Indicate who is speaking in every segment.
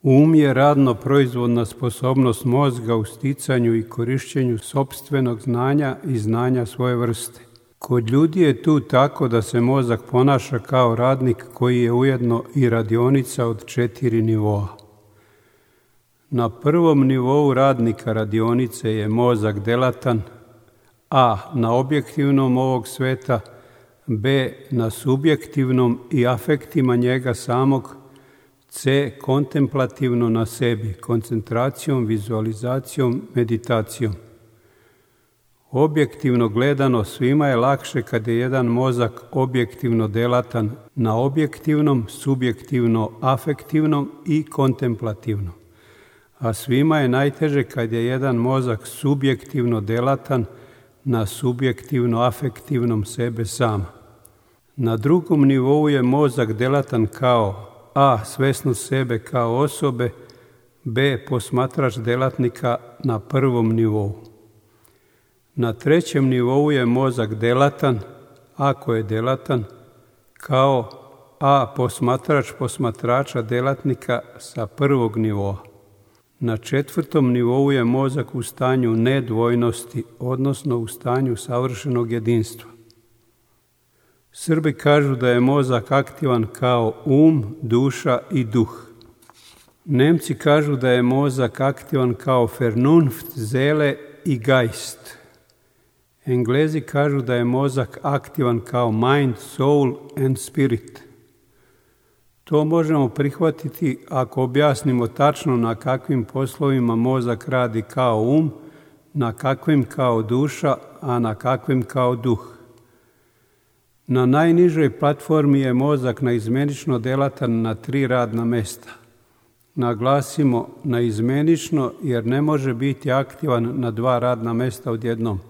Speaker 1: Um je radno proizvodna sposobnost mozga u sticanju i korišćenju sopstvenog znanja i znanja svoje vrste. Kod ljudi je tu tako da se mozak ponaša kao radnik koji je ujedno i radionica od 4 nivoa. Na prvom nivou radnika radionice je mozak delatan, a na objektivnom ovog sveta, b na subjektivnom i afektima njega samog, c kontemplativno na sebi, koncentracijom, vizualizacijom, meditacijom. Objektivno gledano svima je lakše kad je jedan mozak objektivno delatan na objektivnom, subjektivno afektivnom i kontemplativnom. A svima je najteže kad je jedan mozak subjektivno delatan na subjektivno afektivnom sebe sama. Na drugom nivou je mozak delatan kao a. svesnost sebe kao osobe, b. posmatrač delatnika na prvom nivou. Na trećem nivou je mozak delatan, ako je delatan, kao a. posmatrač posmatrača delatnika sa prvog nivoa. Na četvrtom nivou je mozak u stanju nedvojnosti, odnosno u stanju savršenog jedinstva. Srbi kažu da je mozak aktivan kao duša i duh. Nemci kažu da je mozak aktivan kao Vernunft, Seele i Geist. Englezi kažu da je mozak aktivan kao Mind, Soul and Spirit. To možemo prihvatiti ako objasnimo tačno na kakvim poslovima mozak radi kao na kakvim kao duša, a na kakvim kao duh. Na najnižoj platformi je mozak naizmenično delatan na 3 radna mesta. Naglasimo naizmenično jer ne može biti aktivan na 2 radna mesta odjednom,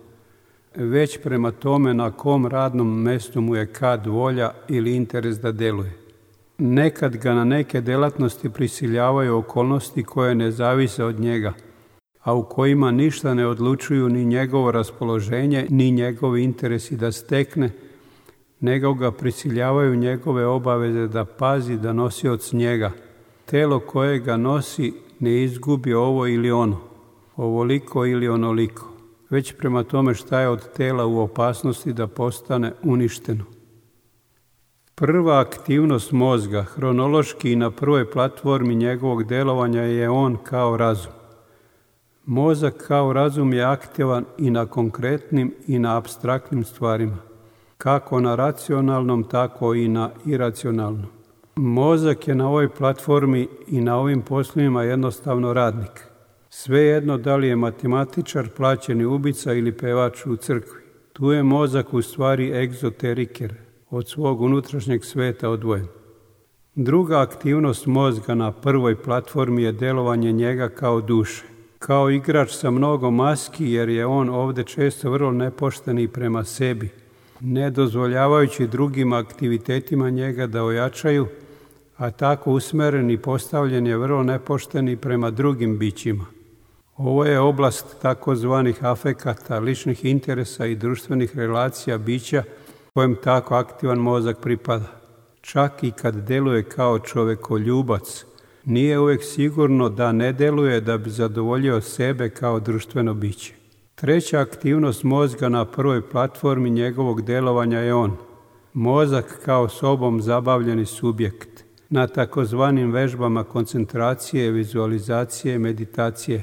Speaker 1: već prema tome na kom radnom mestu mu je kad volja ili interes da deluje. Nekad ga na neke delatnosti prisiljavaju okolnosti koje ne zavise od njega, a u kojima ništa ne odlučuju ni njegovo raspoloženje, ni njegovi interesi da stekne, nego ga prisiljavaju njegove obaveze da pazi da nosioc njega, telo koje ga nosi, ne izgubi ovo ili ono, ovoliko ili onoliko, već prema tome šta je od tela u opasnosti da postane uništeno. Prva aktivnost mozga, hronološki i na prvoj platformi njegovog delovanja je on kao razum. Mozak kao razum je aktivan i na konkretnim i na apstraktnim stvarima, kako na racionalnom, tako i na iracionalnom. Mozak je na ovoj platformi i na ovim poslovima jednostavno radnik. Svejedno da li je matematičar, plaćeni ubica ili pevač u crkvi. Tu je mozak u stvari egzoteriker, od svog unutrašnjeg sveta odvojen. Druga aktivnost mozga na prvoj platformi je delovanje njega kao duše. Kao igrač sa mnogo maski, jer je on ovdje često vrlo nepošten i prema sebi, ne dozvoljavajući drugim aktivitetima njega da ojačaju, a tako usmeren i postavljen je vrlo nepošten i prema drugim bićima. Ovo je oblast takozvanih afekata, ličnih interesa i društvenih relacija bića kojem tako aktivan mozak pripada. Čak i kad deluje kao čovekoljubac, nije uvijek sigurno da ne deluje da bi zadovoljio sebe kao društveno biće. Treća aktivnost mozga na prvoj platformi njegovog delovanja je on. Mozak kao sobom zabavljeni subjekt, na takozvanim vežbama koncentracije, vizualizacije, meditacije.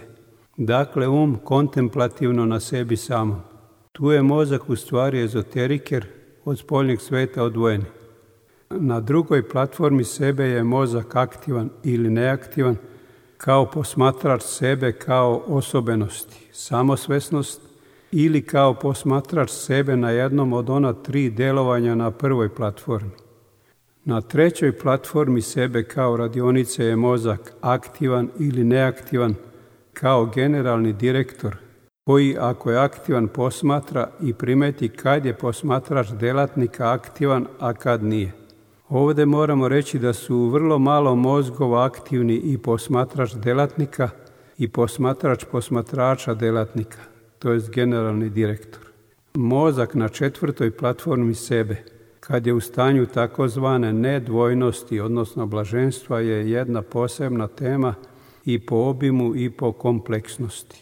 Speaker 1: Dakle, kontemplativno na sebi samom. Tu je mozak u stvari ezoteriker, od spoljnjeg sveta odvojeni. Na drugoj platformi sebe je mozak aktivan ili neaktivan, kao posmatrač sebe kao osobenosti, samosvesnost, ili kao posmatrač sebe na jednom od ona 3 delovanja na prvoj platformi. Na trećoj platformi sebe kao radionice je mozak aktivan ili neaktivan, kao generalni direktor, koji ako je aktivan posmatra i primeti kad je posmatrač delatnika aktivan, a kad nije. Ovdje moramo reći da su vrlo malo mozgova aktivni i posmatrač delatnika i posmatrač posmatrača delatnika, to jest generalni direktor. Mozak na četvrtoj platformi sebe kad je u stanju takozvane nedvojnosti, odnosno blaženstva, je jedna posebna tema i po obimu i po kompleksnosti.